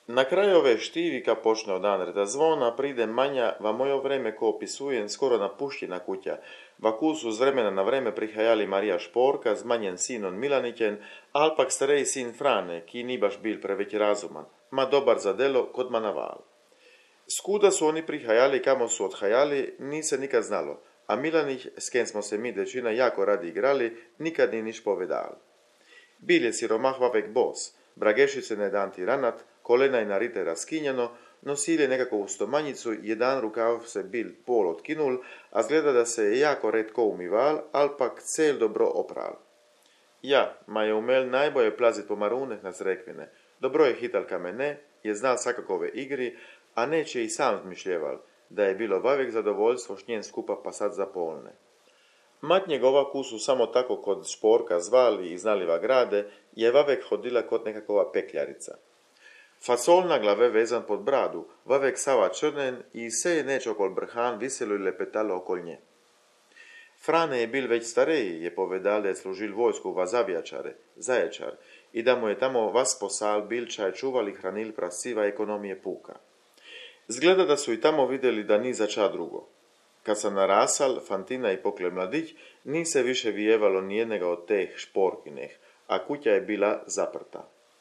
Na kraju ove štivi, ka počne od Andreta zvona, pride Manja, va mojo vreme ko opisujem skoro napuštěna kuća, va kusu z vremena na vreme prihajali Marija Šporka z manjen sinon Milanićen, alpak starej sin Frane, ki ni baš bil preveč razuman, ma dobar za delo kod ma naval. Skuda su oni prihajali kamo su odhajali, ni se nikad znalo, a Milanić, s kem smo se mi dečina jako radi igrali, nikad ni niš povedal. Bil je siromah vavek bos, bragešice ne dan tiranat, kolena je narite raskinjeno, nosil je nekako stomanjicu, jedan rukav se bil pol otkinul, a zgleda da se je jako redko umival, alpak cel dobro opral. Ja, ma je umel najboje plazit po maruneh na zrekvine, dobro je hital kamene, je znal svakakove igri, a neće i sam zmišljeval, da je bilo vavek zadovoljstvo šnjen skupa pasat za polne. Mat njegova kusu samo tako kod Šporka zvali i znaliva grade, je vavek hodila kod nekakova pekljarica. Fasol na glave vezan pod bradu, vavek sava črnen i se je neč okol brhan viselo i lepetalo okol nje. Frane je bil već stareji, je povedal da je služil vojsku v Zavjačare, Zaječar, i da mu je tamo vas posal bil čaj čuval i hranil prasiva ekonomije puka. Zgleda da su i tamo vidjeli da ni za ča drugo. Kad sam narasal, Fantina i pokle mladić, ni se više vijevalo nijednega od teh Šporkineh, a kuća je bila zaprta.